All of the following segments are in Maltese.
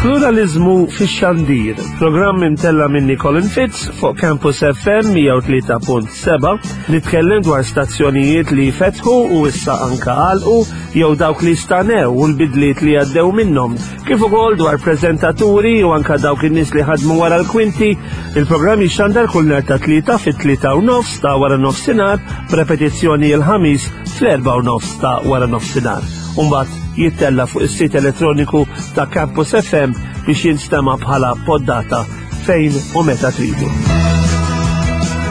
Pluralizmu fix-xandir, programm imtella minni Colin Fitz fuq Campus FM 103.7 nitkellem dwar stazzjonijiet li fetħu u issa anka għalqu jew dawk li stanew u l-bidliet li għaddew minnhom, kif ukoll dwar preżentaturi u anka dawk in-nies li ħadmu wara l-kwinti. Il-programm jixxandar kull nhar ta' tlieta fit-tlieta u nofs ta' wara nofsinhar, b'repetizzjoni l-ħamis fl-erba' u nofs ta' wara nofsinhar. Umbagħad jittella fuq is-sit elettroniku ta' Campus FM biex jinstema' bħala poddata fejn u meta tridu.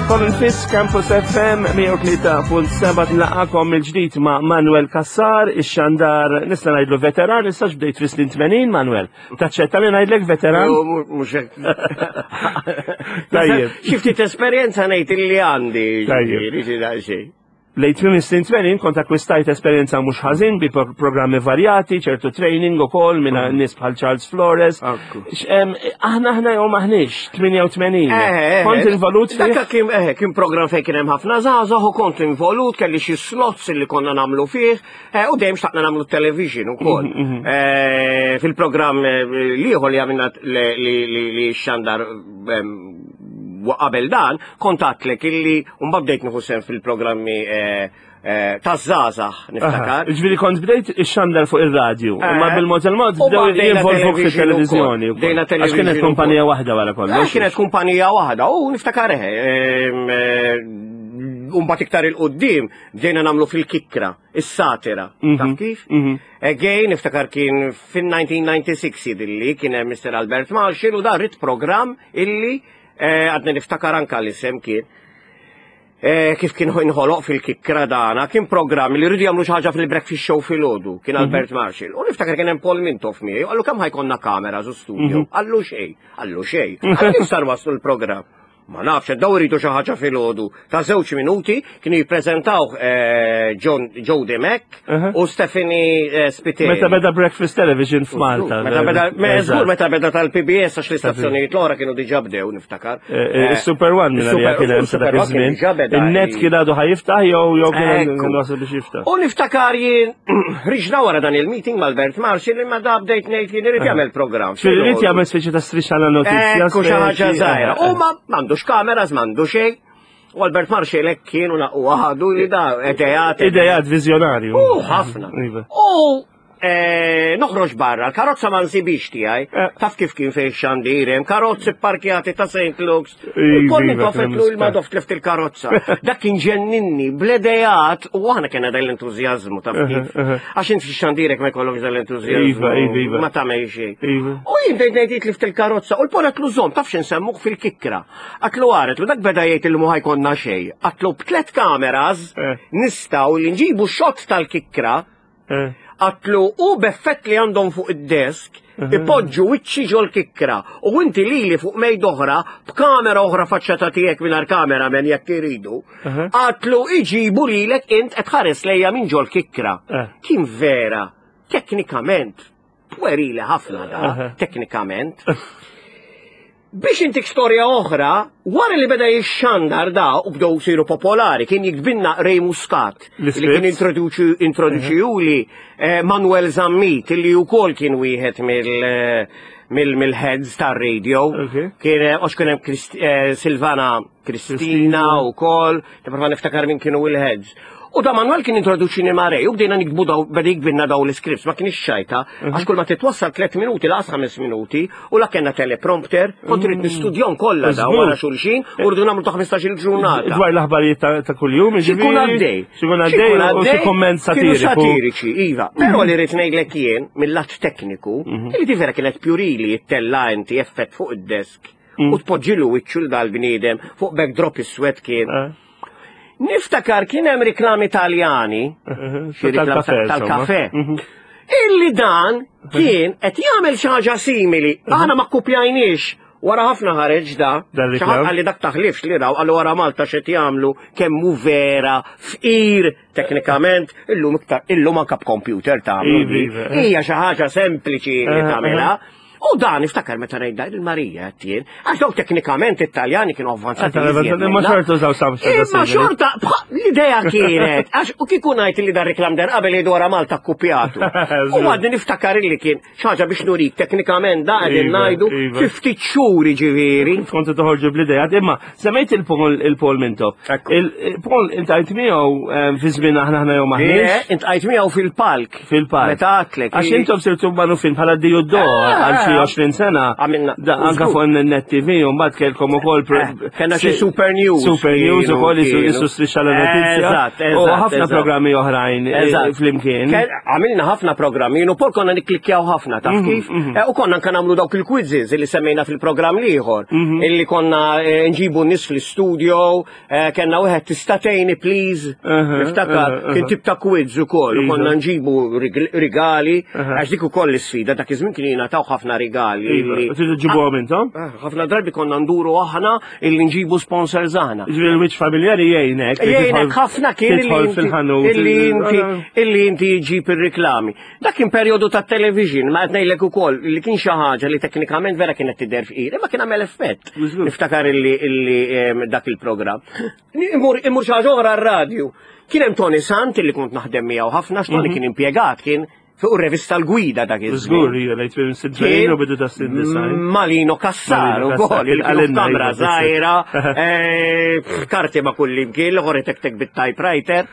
Colin Fitz, Campus FM 103.7 nlaqakom mill-ġdid ma' Manuel Kassar, ix-xandar nista' ngħidlu veteran, issa bdejt fis-snin 80 Manuel. Taċċetta li ngħidlek veteran? Mhux hekk. Tajjeb. Xi ftit esperjenza ngħid illi għandi. Tajjeb. Lejn tmiem is-snin 80 kont akkwistajt esperjenza mhux ħażin bi programmi varjati, ċertu training ukoll minn mm. nies bħal Charles Flores. Aħna aħna jew maħniex 88. Eh, eh, eh. Kont involut fih. Dak kien kien programm fejn kien hemm ħafna żgħażagħ u kont involut kelli xi slots li konna nagħmlu fih u dejjem xtaqna nagħmlu television ukoll. Mhm, mhm. Fil-programm liħor li għamilna li xandar qabel dan, kont għatlek illi mbagħad bdejt nieħu sehem fil-programmi eh, eh, ta' żgħażagħ niftakar. Ġifieri kont bdejt ixxandar fuq ir-radju, eh, imma bil-mod il-mod bdew jinvolvuk fit-televiżjoni. Bdejna televiżjoni. Għax kienet kumpanija waħda wara kollox. Kienet kumpanija waħda u niftakar u mbagħad iktar il-qudiem bdejna nagħmlu fil-kikra, is-satira. Mhm, taf kif? Mhm. Again, niftakar kien fin-1996 jidilli kien hemm Mr. Albert Marshall u dar rit program illi eh, għadni niftakar anka l-isem kien. Eh, kif kien inħoloq fil-kikkra dana, kien programm li rridu jagħmlu xi ħaġa fil-breakfast show filgħodu, kien mhm. Albert Marshall. U niftakar kien hemm Paul Mintoff miegħi, qallu kemm ħajkonna kamera zu studio, mhm. qallu xejn, qallu xejn. Kif sar waslu l-programm? Ma nafx, daw iridu xi ħaġa filgħodu ta' żewġ minuti kienu jippreżentaw eh, John Joe Dimek u Stephanie eh, Spiteri. Meta beda Breakfast Television f'Malta. Meta beda, żgur meta beda tal-PBS għax l-istazzjonijiet l-oħra kienu diġà bdew niftakar. Eh, Super One minn għalija kien hemm sa dak iż-żmien. In-net kien għadu ħajiftaħ jew jew kien wasal biex jiftaħ. U niftakar jien riġna wara dan il-meeting mal-Bert Marshall imma da bdejt ngħid jien irid jagħmel programm. Irid jagħmel speċi ta' strisċa la notizja. Ekku xi ħaġa żgħira. U ma m'għandux kameras, m'għandu xejn. U Albert Marshall hekk kien u laqwa ħadu li da idejat. Idejat viżjonarju. U ħafna. Iva. U eh, noħroġ barra, l-karozza ma nsibix tiegħi, eh. taf kif kien fejn xandir hemm karozzi parkjati ta' St. Luke's. Iva, Kolli iva, tofetlu il-madof tlift il-karozza. Dak kien ġenninni bl-idejat u aħna kena dal entużjażmu taf kif. Għax inti xandirek ma jkollokx dal entużjażmu. Iva, iva, iva. Ma tagħmel xejn. Iva. U jien bdejt ngħid tlift il-karozza u l-poret l-użom taf x'insemmuh fil-kikra. Għatlu għaret, u dak beda jgħid il mu ħajkonna xejn. Għatlu b'tlet kameras eh. nistgħu li nġibu xott tal-kikra Eh. Għatlu u b'effett li għandhom fuq id-desk, mhm. ipoġġu wiċċi ġol kikra u inti lili fuq mejd oħra b'kamera oħra faċċata tiegħek mingħajr kamera men jekk iridu. Mhm. Għatlu iġibu lilek int qed ħares lejja minn ġol kikra. Eh. Kien vera, teknikament, puerili ħafna da, teknikament. Biex intik storja oħra, wara li beda jixxandar da u bdew siru popolari, kien jiktbinna Ray Muscat, li kien introduċijuli eh, Manuel Zammit, li wkoll kien wieħed mill eh, mill-heads tar-radio. Kien eh, għax kien hemm Silvana Kristina u kol, nipprova niftakar min kienu il-heads. U da Manuel kien introduċini ma' Ray u bdejna nikbu daw, beda jikbinna daw l-scripts, ma kienx xajta, mhm. għax kull ma titwassal 3 minuti laqas 5 minuti, u la kena teleprompter, kont rrid mhm. nistudjon kollha daw wara xulxin, u rridu nagħmlu ta' 15 il-ġurnata. Dwar l-aħbarijiet ta' kuljum, xikun għaddej. Xikun għaddej, u xi komment satiriku. Satiriċi, iva. Però li rrid ngħidlek jien, mill-lat tekniku, mhm. li vera kienet pjurili jittella inti effett fuq id-desk mm. u tpoġġilu wiċċu l dal-bniedem fuq backdrop iswed kien. Eh. Niftakar kien hemm riklami Taljani, eh, xi tal-kafe. Mhm. Illi dan kien qed jagħmel xi ħaġa simili, mhm. aħna ma kkupjajniex wara ħafna ħareġ da, xaħat għalli dak taħlifx li raw, għallu wara Malta xed jagħmlu kemm hu vera fqir teknikament, illum iktar illum anka b'computer tagħmlu. Iva, iva. Hija xi ħaġa sempliċi li eh, tagħmilha. U dan iftakar meta ngħid il-Marija qed jien, għax dawk teknikament it-Taljani kienu avvanzati. Imma xorta użaw sam Imma xorta, l-idea kienet, għax u kieku ngħid li dan reklam der qabel jgħidu wara Malta kkupjatu. U għadni niftakar li kien xaġa biex nurik teknikament da qegħdin iva, ngħidu iva. fi ftit xhur ġifieri. Kontu toħorġu bl-idea, imma semmejt il-Paul il-Paul Mintoff. Il-Paul intajt miegħu ehm, fi żmien aħna aħna jew maħniex. Intajt miegħu fil-palk. Fil-palk. Meta għatlek. Għax intom sirtu magħrufin bħala Dio Do ah, għal xi 20 sena. Għamilna. Anka fuq net TV u mbagħad kellkom ukoll. Eh, kellna xi Super News. Super News ukoll isu strisċa la notizja. Eżatt, U ħafna programmi oħrajn eh, flimkien. Għamilna ħafna programmi, u pol konna nikklikjaw ħafna, taf mhm, kif? Mhm. Eh, u konna anka nagħmlu dawk il-quizzes li semmejna fil-programm l-ieħor, mhm. illi konna nġibu nies fl-istudio, Eh, kenna wieħed tista' tgħinni please. Niftakar kien tip ta' quiz ukoll, iva. konna nġibu rigali, għax dik ukoll l-isfida dak iż-żmien kien jingħataw ħafna rigali. Iva. Tridu ġibuhom intom? Eh, ħafna drabi konna nduru aħna illi nġibu sponsors aħna. Ġifieri l-wiċċ familjari jgħinek. Jgħinek ħafna kien illi inti illi inti ġib ir-riklami. Dak kien perjodu ta' television, ma qed ngħidlek ukoll li kien xi ħaġa li teknikament vera kienet tidher fqir, imma kien għamel effett. Niftakar illi illi dak il-programm. Imur imur xi ħaġa oħra r-radju. Kien hemm Tony Sant illi kont naħdem miegħu ħafna x'Tony mhm. kien impjegat kien fuq ir-revista l-gwida dak iż Żgur, hija lejt fil sidrejn u bidu ta' sin design. Malino Kassar ukoll, il kamra żgħira, eh, karti ma' kull imkien, l-ħor tek bit-typewriter.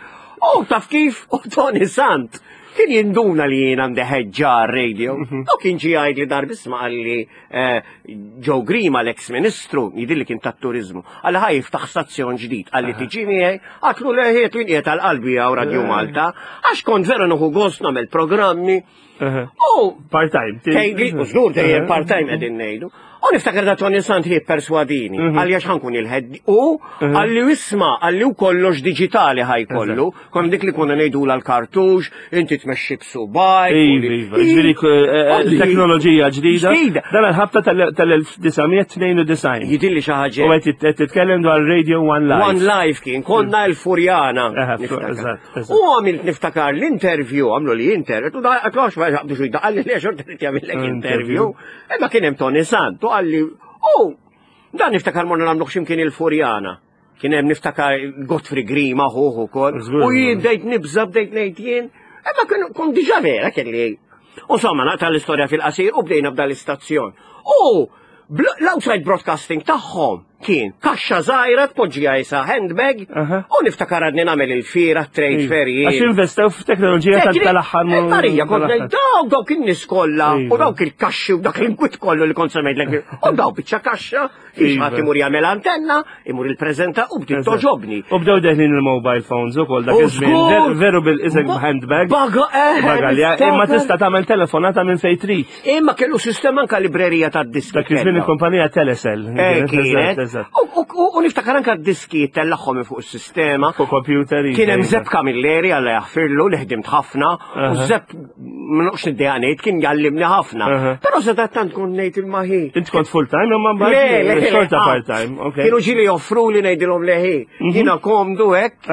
U taf kif, u Tony Sant Kien jinduna li jien għandi ħeġġa radio. Mhm. U kien ġi jgħid li darbi isma' qalli eh, Joe Grima l-ex ministru, jidil li kien tat-turizmu, għalli ħaj jiftaħ stazzjon ġdid, għalli tiġi miegħi, għatlu leħiet li qiegħed għal qalbi għaw Radio eh. Malta, għax kont vera nuħu gost nagħmel programmi. U part-time. Tgħidli, u żgur dejjem part-time qegħdin ngħidu. U niftakar da Tony Sant hi perswadini, mhm. għalli għax ħankun il-ħed u mhm. għalli isma għalli u kollox digitali ħajkollu, kon dik li konna ngħidu l-kartux, inti tmexxi b'subaj. Iva, iva, ġifieri eh, eh, teknoloġija ġdida. Dan il-ħabta tal-1992. Jidilli xi ħaġa. U qed titkellem dwar Radio One Life. One Life kien, konna mm. l-Furjana. U għamilt niftakar l-interview, għamlu li interview, u da għatlu ma jgħabdu xujda, għalli li xorta li jagħmillek interview. Imma kien hemm Tony Sant u għalli, u dan niftakar morna nagħmluh x'imkien il-Furjana. Kien hemm niftakar Godfrey Grima ħuħ ukoll. U jien bdejt nibża bdejt ngħid jien, imma kien kont diġà vera kelli. Insomma, naqta' l-istorja fil-qasir u bdejna b'dan l-istazzjon. U l-outside broadcasting tagħhom kien kaxxa żgħira tpoġġiha isa handbag u niftakar għadni nagħmel il-fiera trade fair jien. Għax investew f'teknoloġija tal-aħħar. Eh, Marija, kont ngħid dawk dawk in-nies kollha u iva. dawk il-kaxxi u dak l-inkwit kollu li kont semmejtlek u dawk biċċa kaxxa Kif ħadd imur jagħmel antenna, imur il-preżenta u bdiet toġobni. U bdew deħlin il-mobile phones ukoll dak iż-żmien. Veru bil-isek handbag. Baga eh. Bagalja, imma tista' tagħmel telefonata minn fejn trid. Imma kellu sistema anka librerija tad-diski. Dak iż-żmien il-kumpanija Telecel. Eh, kienet. U niftakar anka d-diski tellagħhom minn fuq is-sistema. Fuq computer. Kien hemm Zepp Camilleri alla jaħfirlu li ħdimt ħafna u Zepp ma noqx niddejja ngħid kien jallimni ħafna. Però sadattant kont ngħid il-maħi. Int kont full time imma mbagħad xorta part time, ok. Kienu ġieli joffru li ngħidilhom leħi. Mhm. Jiena komdu hekk.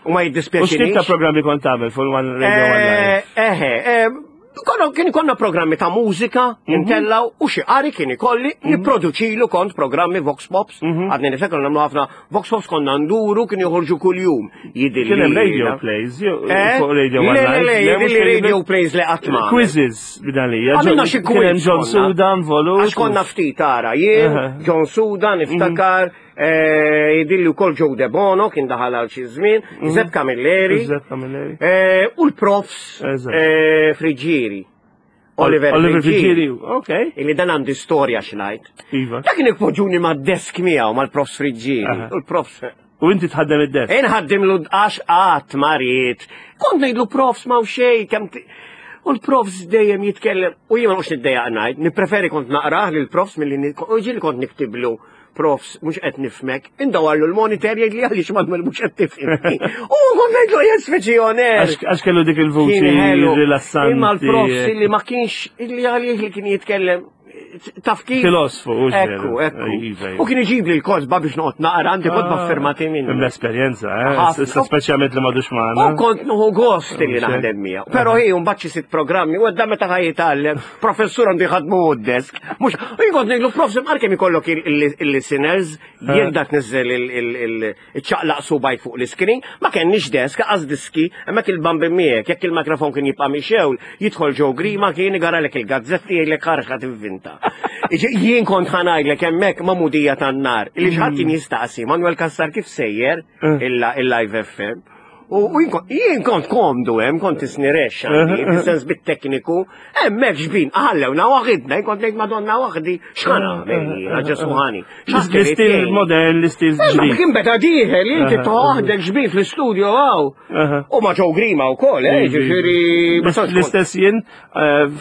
U ma jiddispjaċini. U x'tip ta' programmi kont tagħmel full one radio one live? Eh, eħe, eh, Konna kien konna programmi ta' mużika, mhm. intellaw u xi qari kien ikolli mhm. nipproduċilu kont programmi Vox Pops. Għadni niftakar nagħmlu ħafna Vox Pops konna nduru kien joħorġu kuljum. Jidilli. Kien hemm radio plays, eh? fuq radio Le, le, le, jidilli radio plays li qatt ma. Quizzes bidalija. Għamilna xi quiz. Kien hemm John Sudan volut. Għax konna ftit ara, jien, John Sudan, niftakar, mhm. eh, jidilli wkoll Joe De Bono kien daħal għal xi żmien, mhm. Zeb Camilleri. Zeb Camilleri. Eh, u l-profs Friġġieri. Oliver, Oliver Friggieri, ok. Illi dan għandi storja xnajt. Iva. Dak kien ipoġġuni ma' desk miegħu mal-profs Friggieri. U l-profs. U inti tħaddem id-desk? Inħaddem l għax qatt ma ried. Kont ngħidlu profs ma' xejn kemm U l-profs dejjem jitkellem, u jien ma noqgħodx niddejjaq ngħid, nippreferi kont naqrah lil profs milli u ġieli kont niktiblu Profs, mhux qed nifhmek. Indawarlu l-monitor jgħid li għaliex ma mhux qed tifhimni. U kont ngħidlu jien speċi oner. Għax kellu dik il-vuċi rilassanti. Imma l-profs li ma kienx illi għalih li kien jitkellem. taf kif. Filosfu, u Ekku, ekku. Iva, iva. U kien iġib li l-kotba biex noqgħod naqra, għandi kotba Ah. firmati minnu. L-esperjenza, eh? Ħafna. Issa speċjalment li m'għadux magħna. U kont nuħu gost li Mhux hekk? naħdem miegħu. Però hi mbagħad xi sitt programmi u għadda meta ħaj jitgħallem, professur għandu jħadmu u d-desk. Mhux, u jien kont ngħidlu prof imqar kemm ikollok il-listeners, jien dak niżel il-ċaqlaq subajk fuq l-iskrin, ma kenniex desk, għaz diski, hemmhekk il-bambi miegħek, jekk il-mikrofon kien jibqa' mixewl, jidħol ġew Grima kien igaralek il-gazzetti jgħidlek ħarxa tivvinta. Jien kont ħanajdlek hemmhekk ma' mudija tan-nar, li xħadd kien jistaqsi, Manuel Kassar kif sejjer il-live FM. U jien kont- jien kont komdu hemm, kont isnirex għandi, fis-sens bit-tekniku, hemmhekk xbin, ħallewna waħidna, jien kont ngħid Madonna waħdi, x'ħan nagħmel jiena Ġesu ħani. X'ħadd irid L-istil jgħinni. modern, l-istil Ma ġdid. kien beda dieħel, inti toħdek xbin fl-istudio għaw. U ma ġew Grima wkoll, eh, ġifieri. ma tantx kont- L-istess jien,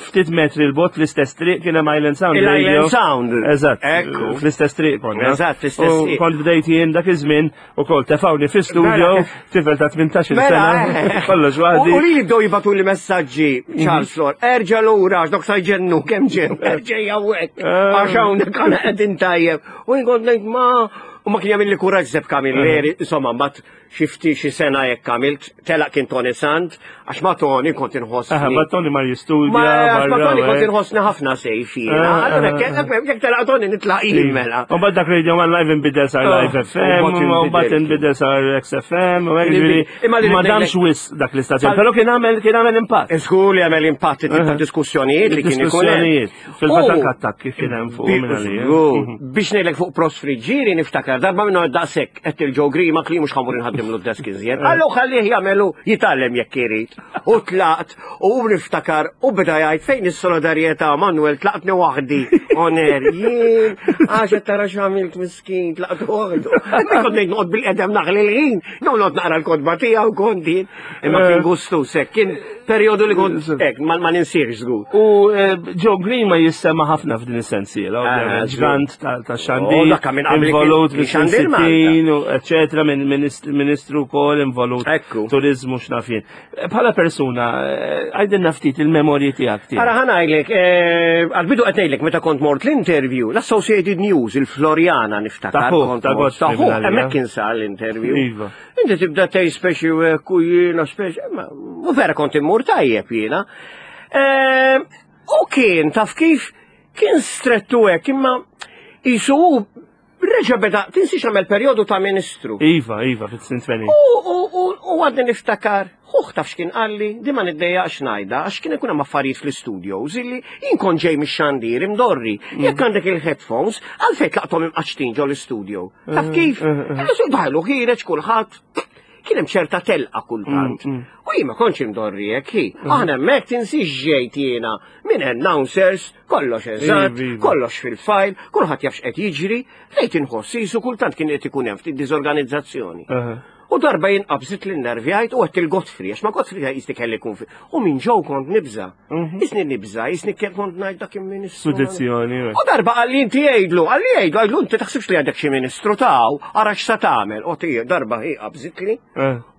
ftit metri l-bot, l-istess triq kien hemm Island Sound. Il-Island Radio. Sound. Eżatt. Ekku. Fl-istess triq konna. Eżatt, fl-istess U triq. Kont bdejt jien dak iż-żmien ukoll tefawni fi studio, Mela. tifel ta' 18 Mela, sena, eh. kollox U waħdi. u li li bdew jibatu li messaġġi, Charles Lor, erġa lura, għax dok sajġennu, kemm ġew, erġa jawek, għax hawnhekk għana qegħdin tajjeb. U jien kont ngħid ma u ma kien jagħmel li kuraġġ Zeb Camilleri, insomma, mbagħad xi ftit xi sena jekk għamilt, telaq kien Tony Sant, għax ma Tony kont inħossni. Aha, ma Tony mar jistudja. Ma għax ma barra, Tony kont eh. inħossni ħafna sejf jiena. Ah, Allura ah, jekk jekk telaq Tony nitlaq jien mela. U bad dak Radio One Live inbidel sar Ah, Live u FM, mbagħad u mbagħad inbidel. inbidel sar XFM, u hekk Inbidel. ġifieri Imma li ma ngħidlek- damx wis dak l-istazzjon, Tal- però kien għamel kien għamel impatt. Żgur li għamel impatt tip ta' diskussjonijiet li kien ikun hemm. Diskussjonijiet. Fil-fatt U- anke attakki kien hemm fuq minn għalija. Żgur. Biex ngħidlek fuq Prost Friġġieri niftakar darba minnu daqshekk qed il-Joe Grima li mhux ħamur inħaddimlu d-desk iżjed. Allu ħallih jagħmelu jitgħallem jekk irid. U tlaqt u niftakar u beda jgħid fejn is-solidarjetà Manuel tlaqtni waħdi. Oner, jien għax qed tara x'għamilt miskin tlaqt waħdu. Imma kont ngħid noqgħod bil-qedem naħli l-ħin, jew noqgħod naqra l-kotba tiegħu kont jien. Imma kien gustu sekk, kien perjodu li kont hekk ma ma ninsiex żgur. U Joe Grima jissema ħafna f'din is-sensiela, Ah, ovvjament, ġgant ta' xandir, Oh, dak minn qabel kien- involut kien fis xandir Malta. 60 u eccetera, minn ministru wkoll involut Ekku. turizmu x'naf jien. Bħala persuna, għajdilna ftit il-memorji tiegħek tiegħek. Ara ħanajlek, għal-bidu qed meta kont mort l-interview, l-Associated News, il-Floriana niftakar. Ta' fuq, kont ta' mort- Godfrey Ta' fuq, minn għalija. hemmhekk kien sar l-interview. Iva. Inti tibda tgħid speċi u hekk u jiena speċi, ma u vera kont immur tajjeb jiena. Eh, U kien taf kif kien strettu hekk imma isu hu reġa' beda tinsiex għamel perjodu ta' ministru. Iva, iva, fit-snin 80. U, u, u, u għadni niftakar, huħ taf x'kien qalli, di ma niddejjaqx ngħidha, għax kien ikun hemm affarijiet fl-studios illi jien kont ġej mix-xandir imdorri. Jekk għandek il-headphones, għalfejn tlaqthom imqaċtin ġol istudio. Taf kif? Daħlu ħireġ kulħadd. Kien hemm ċerta telqa kultant. U jien ma kontx imdorri hekk hi. Aħna hemmhekk tinsiex ġejt jiena minn announcers, kollox eżatt, Iva, iva. kollox fil-fajl, kulħadd jaf x'qed jiġri, lejt inħoss isu kultant kien qed ikun hemm ftit diżorganizzazzjoni. Aha. U darba jien qabżit li nervjajt u għedt il-Godfrey, għax ma Godfrey jisni kelli kun fi. U minn ġew kont nibża. Jisni nibża, jisni kien kont ngħid dak il-ministru. Sudizzjoni. U darba għalli inti jgħidlu, għalli jgħidlu, għallu inti taħsibx li għandek xi ministru taw, ara x'sa tagħmel. U tija darba hi qabżit li.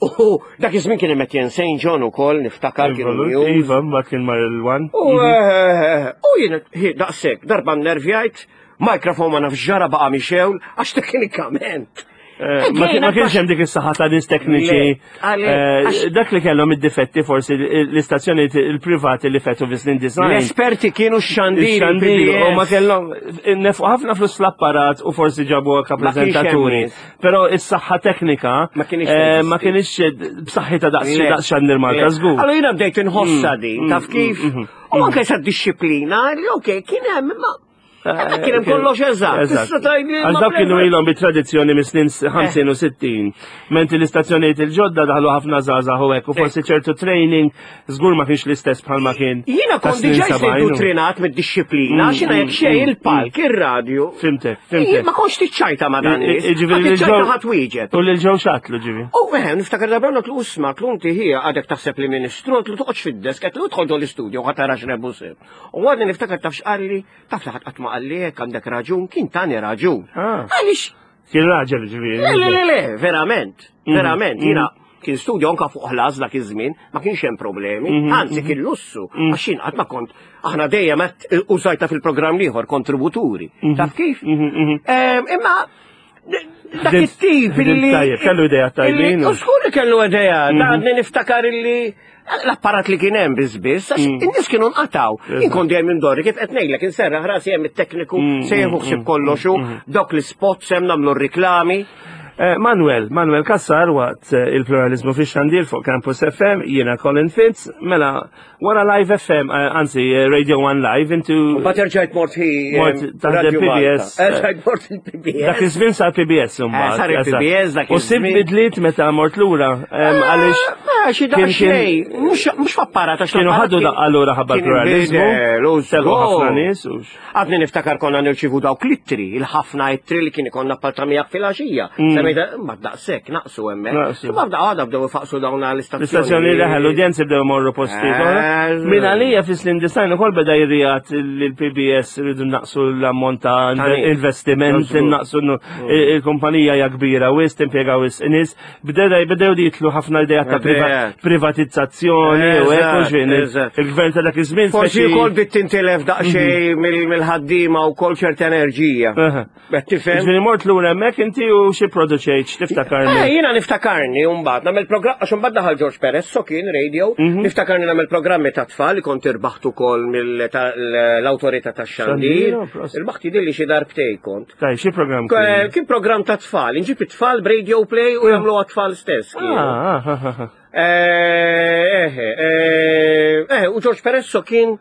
U dak iż-żmien kien hemm Etienne St. John ukoll niftakar kienu news. Iva, ma kien mar il-wan. U u jien hi, daqshekk darba nervjajt, mikrofon ma nafx ġara baqa' mixewl għax teknikament. Ma kien- ma kienx hemm dik is-saħħa ta' nies tekniċi. Le, għalek, għax- Dak li kellhom id-difetti forsi l-istazzjoni il-privati li fetu fi snin design. L-esperti kienu x-xandir. Xandir, u ma kellhom nefqu ħafna flus l-apparat u forsi ġabu anke Ma kienx hemm preżentaturi. nies. Però is-saħħa teknika Ma kienx ma teżisti. kienx b'saħħitha daqs Le. daqs xandir Malta Le. żgur. Allora jiena bdejt inħossa din, taf kif? U anke sa disċiplina, li okej, kien hemm, imma hemmhekk kien hemm kollox eżatt. Tista' tgħidli, Għax ma dawk kienu bla- ilhom bit-tradizzjoni mis snin 50 u 60. Mentri l-istazzjonijiet il-ġodda daħlu ħafna żgħażagħ u hekk u forsi ċertu training żgur ma kienx l-istess bħalma kien. Jiena ta' kont snin diġà 70. indottrinat mid-disċiplina, xina jekk xejn il-palk, ir-radju. Fimtek, Jien fimtek. Ma kontx tiċċajta ma dan nies. Ġifieri Ma tiċċajta lil-ġew- ħadd wieġeb. U lil ġew xatlu ġivi. U eħe, niftakar darba għatlu usma, għatlu inti hija għadek taħseb li ministru, għatlu toqgħodx fid-desk, għatlu idħol ġol l-istudio, ħa tara x'rebu sib. U għadni niftakar taf x'qalli, taf li ħadd qatt ma qalli hekk għandek raġun, kien tani raġun. Ah. Għaliex, Kien raġel ġifieri. le, le, le, le, verament, verament, jiena. Kien studio anka fuq ħlas dak iż-żmien, ma kienx hemm problemi, mhm, anzi mhm. kien lussu, mhm. għax jien qatt ma kont aħna dejjem qed użajta fil-programm ieħor kontributuri. Taf kif? Imma dak it-tip li. Tajjeb, kellu idea tajbin. U skur li kellu idea, ta' niftakar illi l-apparat li kien hemm biss biss, għax mm. in-nies kienu nqataw. Jien kont dejjem indorri kif qed ngħidlek inserraħ rasi hemm it-tekniku mm, se jieħu mm, ħsieb kollox u dawk l-ispots hemm nagħmlu r-riklami. Eh, Manuel, Manuel Kassar waqt eh, il-pluralizmu fi xandir fuq Campus FM, jiena Colin Fitz, mela wara Live FM, eh, anzi Radio 1 Live, intu. Bat rġajt mort hi. Mort taħdem PBS. Rġajt mort il-PBS. Dak iż-żmien sar PBS imbagħad. Sar il-PBS dak iż-żmien. U sib bidliet meta mort lura għaliex. Xi daqsxejn, mhux f'apparat għax. Kienu ħadu daqqa lura ħabba l-pluralizmu. Telqu ħafna nies u. Għadni niftakar konna nirċivu dawk l-ittri, il-ħafna ittri li kien ikonna apparta miegħek fil-għaxija. Mm. Semmejta, ma daqshekk naqsu hemmhekk. Ma bda għada bdew ifaqsu dawn l-istazzjoni. L-istazzjoni leħel, l-udjenzi bdew morru posti. Eh, Min għalija fis-snin design ukoll beda jirrijat l-PBS rridu naqsu l-ammont ta' investiment, naqsu mm. il-kumpanija hija kbira wis, timpjega wis nies. Bdew jitlu ħafna idea ta' privatizzazzjoni u hekk il-gvern ta' dak iż-żmien. Forsi wkoll bit tintilef daqsxejn mhm. mill-ħaddiema wkoll ċerta enerġija. Qed tifhem? Ġifieri mort lura hemmhekk inti u xi produċejt x'tiftakarni? Eh, jiena niftakarni mbagħad nagħmel programm għax imbagħad daħal George Perez so kien radio, mhm. niftakarni nagħmel programmi ta' tfal li kont irbaħt ukoll mill-awtorità tax-xandir. Irbaħt jidhirli xi darbtej kont. Taj, xi programm kien? Kien programm ta' tfal, inġib it-tfal b'radio play u jagħmlu għat-tfal stess. Ah, ah, ah, eh, eh, eh, u George Peresso kien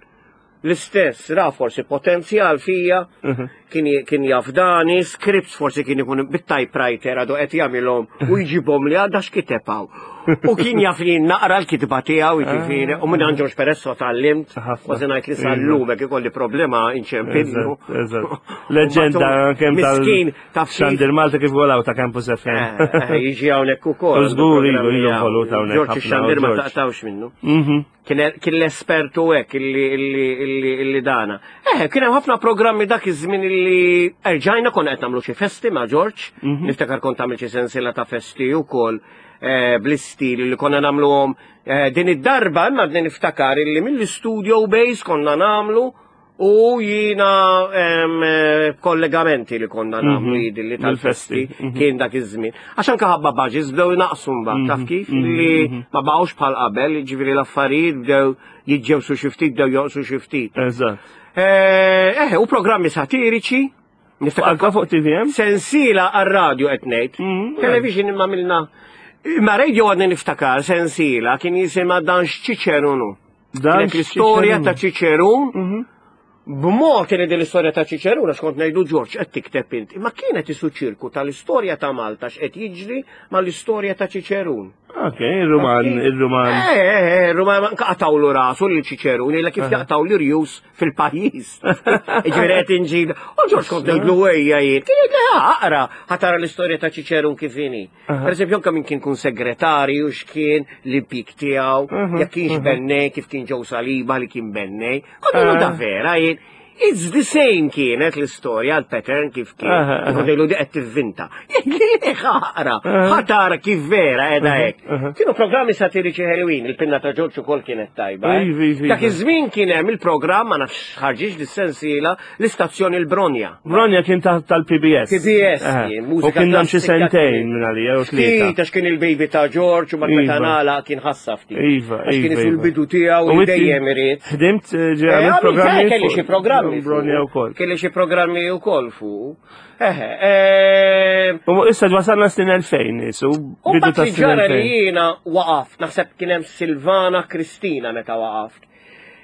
l-istess, ra forsi potenzjal fija, mhm. kien jafdani, scripts forsi kien ikun bit-typewriter għadu qed jagħmilhom u jġibhom li għadha x'kiteb hawn. U kien jaf li naqra l-kitba tiegħu jiġifieri, u minn George Peresso tgħallimt, kważi ngħid li sal-lum hekk ikolli problema inċempillu. Leġenda kemm tal taf Xandir Malta kif għolaw ta' Campus FM. Eh, eh, jiġi hawnhekk ukoll. Żgur ilu ilu ħolut hawnhekk. George Xandir ma taqtawx minnu. Mhm. Kien l-espertu hekk illi dana. Eh, kien hemm ħafna programmi dak iż-żmien illi erġajna konna qed nagħmlu xi festi ma' George, mhm. niftakar kont tagħmel xi sensiela ta' festi wkoll eh, bl-istil li konna nagħmluhom eh, din id-darba imma din niftakar illi mill-studio base konna nagħmlu U jina eh, kollegamenti li konna mhm. nagħmlu jidi li tal-festi mhm. kien dak iż-żmien. Għax anke ħabba budgets bdew naqsu mbagħad taf mhm. kif li ma baqgħux bħal qabel, jiġifieri l-affarijiet bdew jiġġewsu xi ftit bdew joqsu xi ftit. Eżatt. Eh, eh, u programmi satiriċi. Anka fuq TVM? Sensiela għar-radio qed ngħid. Television imma milna. Imma radio għadni niftakar sensiela kien jisimha dan x'Ċiċerunu. Dan l-istorja ta' Ċiċerun, mhm. b'mod li din l-istorja ta' Ċiċerun, għax kont ngħidu Ġorġ qed tikteb int, imma kienet isu ċirku tal-istorja ta' Malta x'qed jiġri mal-istorja ta' Ċiċerun. Ok, il-Ruman, il-Ruman. Eh, eh, eh, il-Ruman qatawlu rasu lil Ċiċerun, illa kif jaqtaw l-irjus fil-pajjiż. Ġifieri qed inġib. U Ġorġ kont ngħidlu ejja jien. Kien jgħid aqra, ħatara l-istorja ta' Ċiċerun kif inhi. Per eżempju, anke min kien kun segretarju, x'kien l-impjieg tiegħu, jekk kienx bennej, kif kien ġew Saliba li kien bennej. Kont da vera jien. It's the same kienet l-istorja, l-pattern kif kien. Kont ngħidu di qed tivvinta. Aqra, ħatara kif vera qiegħda hekk. Kienu programmi satiriċi ħelwin, il-pinna ta' Ġorġ ukoll kienet tajba. Eh. Dak iż-żmien kien hemm il-programm ma nafx ħarġix dis-sensiela L-istazzjon il-Bronja. Bronja kien taħt tal-PBS. PBS, kien, mużika. U kien dam xi sentejn minn għalija u tlieta. Ftit għax kien il-baby ta' George u meta iva. nagħlaq kien ħassa ftit. Iva, Għax kien iva, isu iva. l-bidu tiegħu u dejjem irid. Ħdimt eh, ġej eh, programmi. Kelli xi programmi. Bronja wkoll. Kelli xi programmi wkoll fuq. Eħe, eh, U issa wasalna snin 2000 isu. U bidu ta' snin 2000. li jiena waqaft, naħseb kien hemm Silvana Kristina meta waqaft.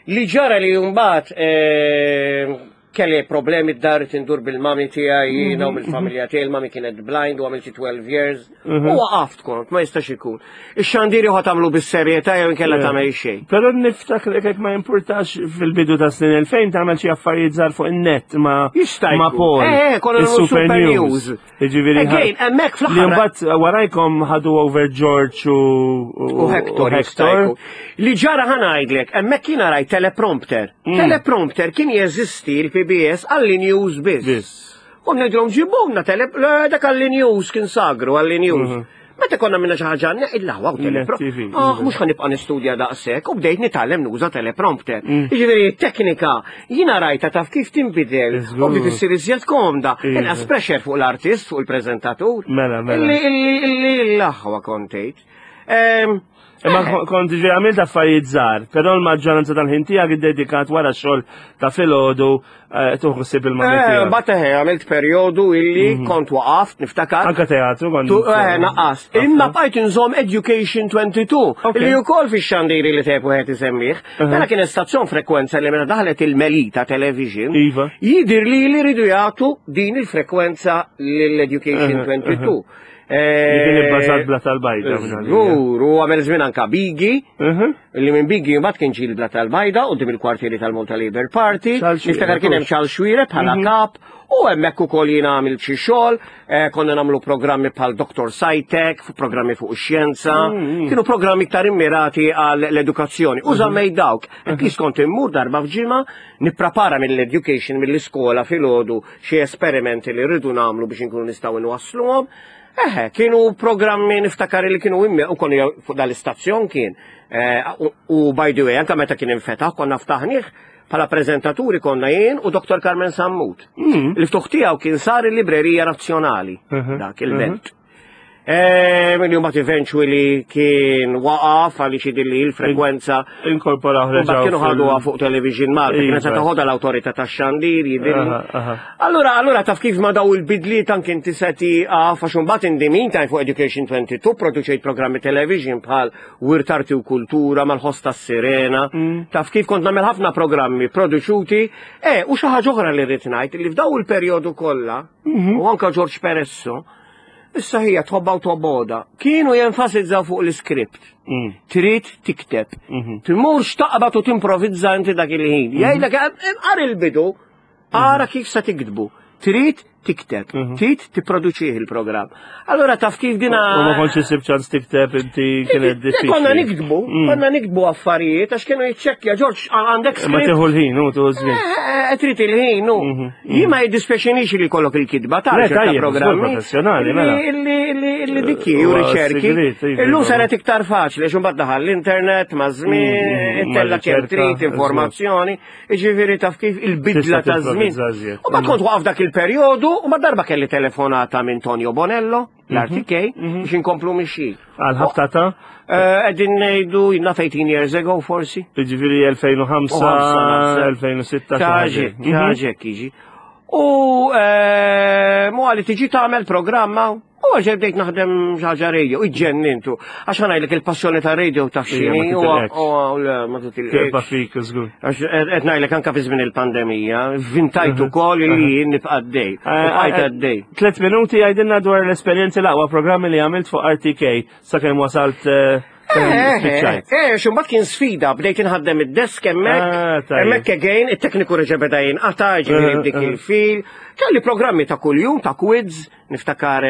Li ġara li mbagħad eh, kelli problemi d-dar tindur bil-mami tiegħi jiena u mhm, bil-familja mhm. tiegħi, il-mami kienet blind u għamilti 12 years. Mhm. U waqaft kont, ma jistax ikun. Ix-xandiri ħa tagħmlu bis-serjetà jew inkella tagħmel xejn. Però niftakar jekk ma jimpurtax fil-bidu ta' snin 2000 tagħmel xi affarijiet żgħar fuq in-net ma' ma' Paul. Eh, eh konna Super News. Jiġifieri. Again, hemmhekk fl-aħħar. Li mbagħad warajkom ħadu over George u u Hector. Hector. Li ġara ħa ngħidlek, hemmhekk jiena rajt teleprompter. Mm. Teleprompter kien jeżisti l-PBS għalli news biss. Biss. U ngħidlhom ġibulna tele dak għalli news kien sagru għalli news. Mhm. Meta konna minna xi ħaġa il-laħwa u teleprompter. Ah, mhux ħanibqa' nistudja daqshekk u bdejt nitgħallem nuża teleprompter. Jiġifieri teknika jiena rajta taf kif tinbidel u bdiet issir iżjed komda. Iva. Inqas pressure fuq l-artist, fuq il-preżentatur. Mela, mela. Illi illi l-aħwa kontejt. Ehm, Imma eh. kont ġi għamilt affarijiet żgħar, però l-maġġoranza tal-ħin tiegħek iddedikat wara xogħol ta' filgħodu eh, tuħu ħsieb il-mami. Eh, Bat eħe għamilt perjodu illi mhm. kont waqaft niftakar. Anka teatru kont. Eh, naqqas. Imma bqajt inżomm Education 22 li wkoll fix-xandiri li tepu qed isemmih. Mela kien stazzjon frekwenza li meta daħlet il-Melita Television. Iva. Jidir li li ridu jagħtu din il-frekwenza lill-Education 22. Li kien ibbażat bla tal-bajda. Żgur, u għamel żmien anka Bigi, mhm. li minn Bigi mbagħad kien ġil bla tal-bajda qudiem il-kwartieri tal-Malta Labour Party. Niftakar kien hemm Charles Xuereb bħala mhm. kap, u hemmhekk ukoll jiena għamilt xi xogħol, eh, konna nagħmlu programmi bħal Dr. Sajtek, programmi fuq ix-xjenza, mhm. kienu programmi iktar immirati għal l-edukazzjoni. U żammej dawk, at least kont immur darba f'ġimgħa nipprepara mill-education mill-iskola filgħodu xi esperimenti li rridu nagħmlu biex inkunu nistgħu nwassluhom. Eħe, kienu programmi niftakar li kienu immi u konu fuq dal-istazzjon kien. Eh, u by the way, anka meta kien infetaħ, konna ftaħnieh bħala prezentaturi konna jien u Dr. Carmen Sammut. Il-ftuħ tiegħu kien sar il-Librerija Nazzjonali, mhm. dak il-belt. Mhm. Eh, Min jumbat eventually kien waqaf għaliex jidilli l-frekwenza. Inkorpora ħreġa. Kienu ħaduha fuq television Malta, kienet se toħodha l-awtorità tax-xandir jidilli. Allura, allura taf kif ma daw il-bidliet anke inti se tieqaf għax imbagħad in the meantime fuq Education 22 produċejt programmi television bħal Wirt Arti u Kultura mal-ħoss tas-Sirena. Mm. Taf kif kont nagħmel ħafna programmi produċuti. Eh, u xi ħaġa oħra li rrid ngħid li f'daw il-perjodu kollha, mhm. u anke George Peresso, Issa hija tħobba u tobboda. Kienu jenfasizzaw fuq l-iskript. Mm. Trid tikteb. Mhm. Tmurx taqbad u timprovizza inti dak il-ħin. Mhm. Jgħidlek qar il-bidu, ara kif se tiktbu. Trid tikteb, mhm. trid tipproduċih il-programm. Allora taf kif dina. U ma kontx isib ċans tikteb inti kienet diffiċli. Konna niktbu, mm. konna niktbu affarijiet għax kienu jiċċekkja Ġorġ għandek Ma tieħu l-ħin, u tieħu żmien. Eh, eh, eh, trid il-ħin, u. Mhm. Jien ma jiddispjaċinix li kollok il-kitba ta' ċerta programmi. Professjonali, mela. Li dikki u riċerki. Iva. Illum saret iktar faċli, għax imbagħad daħal l-internet ma' żmien, mm, mm, mm, tella kemm trid informazzjoni, jiġifieri taf kif il-bidla ta' żmien. U ma kont waqaf dak il-perjodu u ma darba kelli telefonata minn Tonio Bonello. l-RTK mhm, mhm. biex inkomplu mixi. Għal ħabta ta' eh, Qegħdin ngħidu jina 18 years ago forsi. Jiġifieri 2005, 2006. Ċaġek, mhm. ċaġek jiġi. U eh, mu għalli tiġi tagħmel programma u għax bdejt naħdem ħaġa radio, iġġennintu. Għax ħanajlek il-passjoni ta' radio ta' xini u ma titilqek. fik, żgur. Għax qed ngħidlek anke fi żmien il-pandemija, vintajt ukoll li jien nibqa' għaddej. Eh, bqajt eh, għaddej. Tlet minuti għajdilna dwar l-esperjenzi l-aqwa programmi li għamilt fuq RTK sakemm wasalt eh, Eh, eh, xumbat kien sfida, bdejt inħaddem id-desk hemmhekk, ah, hemmhekk again, it-tekniku reġa' beda jinqata' ġifieri eh, b'dik il-fil. Kelli programmi ta' kuljum, ta' quiz, niftakar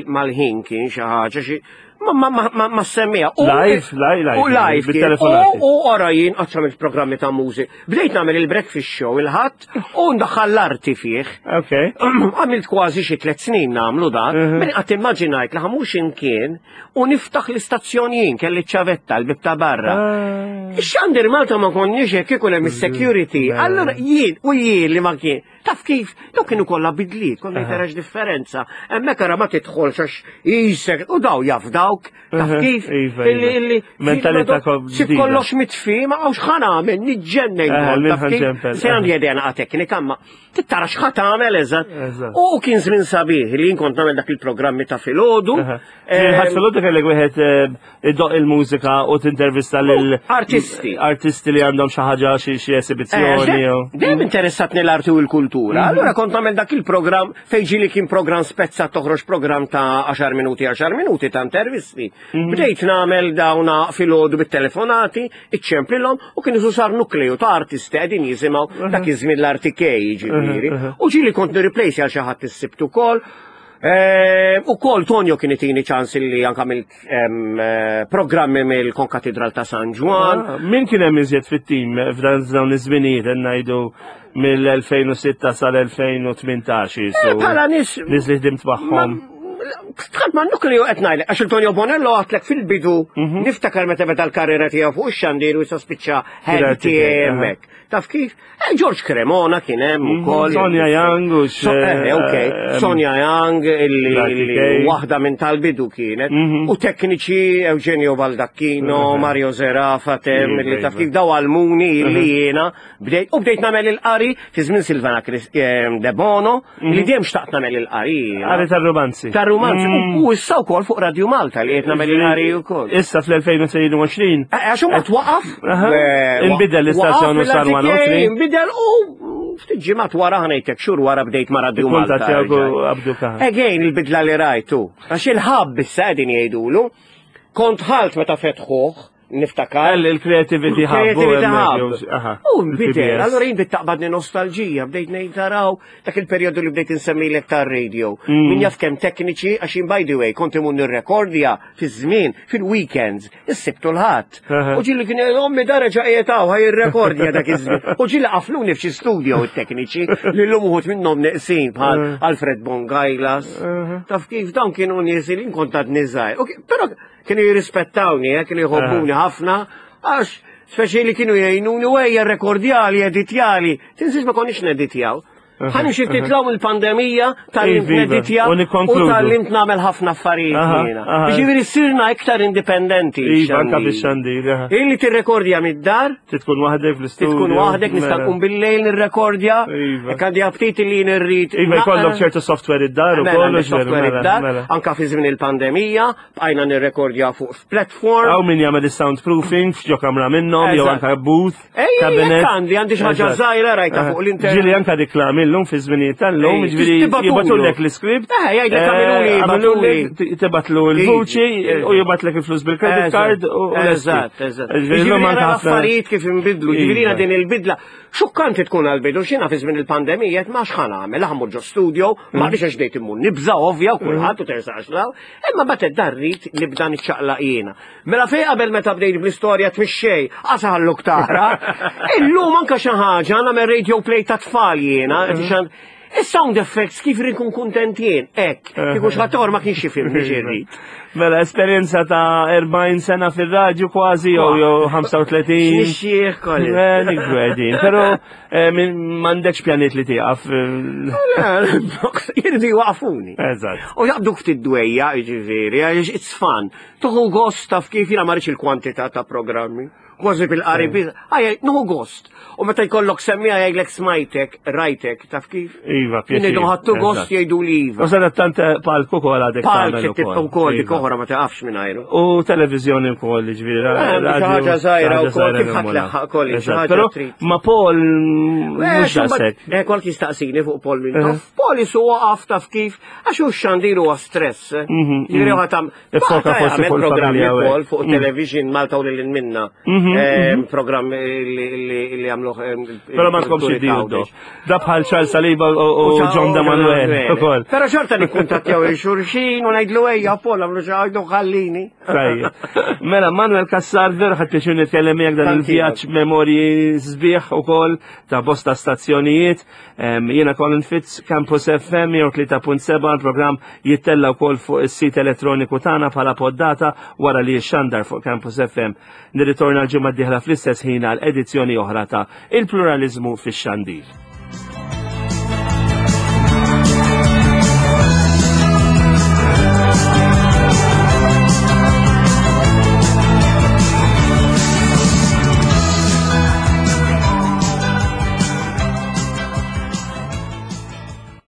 mal-ħin kien xi ħaġa xi ma ma ma ma semmija. Live, live, live. U live. U ora jien qatt għamilt programmi ta' mużik. Bdejt nagħmel il-breakfast show il-ħadd u ndaħħal l-arti fih. Ok. Għamilt kważi xi tliet snin nagħmlu dan. Mhm. Min qatt immaġinajt li ħamux imkien u niftaħ l-istazzjon jien kelli ċavetta l-bib ta' barra. Ah. Ix-xandir Malta ma konniex hekk ikun hemm is-security. Allura jien u jien li ma kien Taf kif, daw kienu kollha bidliet, konna jtarax differenza. Hemmhekk ara ma tidħolx għax jisek, u daw jaf dawk, taf kif. Iva, iva. Illi mentalità Sib kollox mitfi, ma għawx ħan għamel, niġġennen. Taf kif, se għandi idea naqa teknika, ma tittara x'ħa tagħmel eżatt. U kien żmien sabiħ li jien kont nagħmel dak il-programmi ta' filgħodu. Ħadd filgħodu kellek wieħed eh, iddoq il-mużika u tintervista lil artisti. Artisti li għandhom xi ħaġa xi esibizzjoni. Eh, dejjem interessatni l-arti u l-kultura. Mhm. Allura kont nagħmel dak il-programm fejn ġieli kien programm spezza toħroġ programm ta' 10 minuti 10 minuti ta' intervisti. Mhm. Bdejt nagħmel dawna filgħodu bit-telefonati, iċċemplilhom u kien isu sar nukleju ta' artisti qegħdin jisimgħu mhm. dak iż-żmien l-RTK jiġifieri. U ġieli kont nirreplace għal xi ħadd is-sibt ukoll. Eh, u kol Tonio kien itini ċans li anka mill eh, programmi mill-Konkatedral ta' San Ġwan. Ah, min kien hemm iżjed fit-tim f'dan dawn iż-żminijiet qed ngħidu mill-2006 sal-2018. Eh, bħala nies nies li ħdimt magħhom. Tħadd ma nukliju qed ngħidlek għax il-Tonio Bonello għatlek fil-bidu mhm. niftakar meta beda l-karriera tiegħu fuq ix-xandir u jispiċċa ħed hemmhekk. Taf kif? Eh, George Cremona kien hemm mhm. ukoll. Sonja Young u eh, eh, ok, Sonja Young illi waħda minn tal-bidu kienet. Mhm. U tekniċi Eugenio Baldacchino, Mario Zerafa, tem, li taf kif daw għalmuni illi jiena Bdejt, u bdejt nagħmel il-qari fi żmien Silvana eh, De Bono, mhm. li dejjem xtaqt nagħmel il-qari. Qari tar-romanzi. Tar-romanzi. Mm. U issa wkoll fuq Radio Malta li qed nagħmel il-qari wkoll. Issa fl-2022. Eh, għax huma twaqaf. Eh, inbidel l-istazzjon u sar 103. Inbidel u ftit ġimgħat wara ħanejtek xhur wara bdejt ma' Radio Malta. Again il-bidla li rajtu. Għax il-ħabb issa qegħdin jgħidulu. Kont ħalt meta fetħuh niftakar. Il-creativity hub. Creativity hub. U nbidel, allora jien bdiet taqbadni nostalġija, bdejt ngħid taraw dak il-perjodu li bdejt insemmilek tar-radio. Mm. Min jaf kemm tekniċi għax jien by the way kont imur nirrekordja fi żmien fil-weekends, is-Sibt u l-Ħadd. U ġieli kien ommi dara ġa qiegħed hawn ħaj irrekordja dak iż-żmien. U ġieli qafluni f'xi studio it-tekniċi li llum uħud minnhom neqsin bħal Alfred Bongajlas. Taf kif dawn kienu nies li kont għadni żgħir. Però kienu jirrispettawni, eh, kienu jħobbuni ħafna, għax speċi li kienu jgħinuni u ejja rekordjali, editjali, tinsiex ma konniex neditjaw. Ħa nimxi ftit l il-pandemija tgħallimt neditja u tgħallimt nagħmel ħafna affarijiet jiena. Ġifieri sirna iktar indipendenti. Iva, anka bix-xandir. Illi tirrekordja mid-dar. Tkun waħdek fl-istudio. Tkun waħdek nista' nqum bil-lejl nirrekordja. Iva. Jekk għandi aptit li nirrid. Iva jkollok ċertu software id-dar ukoll. Mela, software mela, id-dar, mela. anka fi żmien il-pandemija, bqajna nirrekordja fuq platform. Hawn min jagħmel is-soundproofing f'ġo kamra minnhom jew anka booth. Cabinet. Għandi għandi xi ħaġa żgħira rajta fuq l-internet. Ġieli anka riklami llum fi żminijiet tal-lum, ġifieri jibgħatulek l-iskript. Eh, jgħidlek għamiluli, għamiluli, tibgħatlu l-vuċi u jibgħatlek il-flus bil-credit card u Eżatt, eżatt. Ġifieri anke affarijiet kif inbidlu, ġifieri iva. din il-bidla. Xukkanti tkun għal-bidu xina fi żmien il-pandemija ma x'ħa nagħmel, ħa mmur ġo studio, ma biex għax dejt immur nibża ovvja u kulħadd u tersaqx law, imma bagħad darrit nibda niċċaqlaq jiena. Mela fej qabel meta bdejt bl-istorja tmixxej, għasalluk tara. Illum anka xi ħaġa nagħmel radio play ta' tfal jiena, Is-sound effects kif inkun kuntent jien, hekk, kieku xi ma kienx jifhimni x'irrid. Mela esperjenza ta' 40 sena fir-radju kważi jew jew 35. Nixxieħ kolli. Eh, nikbru qegħdin, però eh, m'għandekx pjaniet li tieqaf. Jiridu jwaqfuni. Eżatt. U jaqbduk ftit dwejja, jiġifieri, għaliex it's fun. Tuħu gost taf kif jiena ma rridx il-kwantità ta' programmi. Kważi bil-qari mm. Għaj, nuħu gost. U meta jkollok semmija jgħidlek smajtek, rajtek, taf kif? Iva, pjaċir. Ngħidu ħattu gost jgħidu li iva. U sadat tant eh, palku kol għadek. Palk tibqa' wkoll dik oħra ma taqafx minn ajru. U televiżjoni wkoll, ġifieri. Eh, ħaġa żgħira wkoll kif ħadd leħħaq koll. Però ma Paul eh, mhux daqshekk. Eh, kol jistaqsini fuq Paul minn. Paul isu waqaf taf kif għax hu xandir huwa stress. Mhm, Ġifieri mhm. ħatam Iffoka forsi fuq programmi wkoll fuq mm. television Malta u lil minna. Mhm, mhm. Programm li għamluh. Però ma tkomx id-diju Da bħal Charles Saliba u John da Manuel ukoll. Però xorta nikkuntattjaw il-xurxin u ngħidlu ejja Paul għamlu xi ħaġa ħallini. Mela Manuel Cassar vera ħadd pjaċir nitkellem miegħek dan il-vjaġġ memorji sbieħ ukoll ta' bosta stazzjonijiet. Jiena Colin Fitz, Campus FM 103.7, il-programm jittella wkoll fuq is-sit elettroniku tagħna bħala poddata wara li jixxandar fuq Campus FM. Nirritorna l-ġimgħa d-dieħla fl-istess ħin għal edizzjoni oħra ta' Il-Pluralizmu fix-Xandir.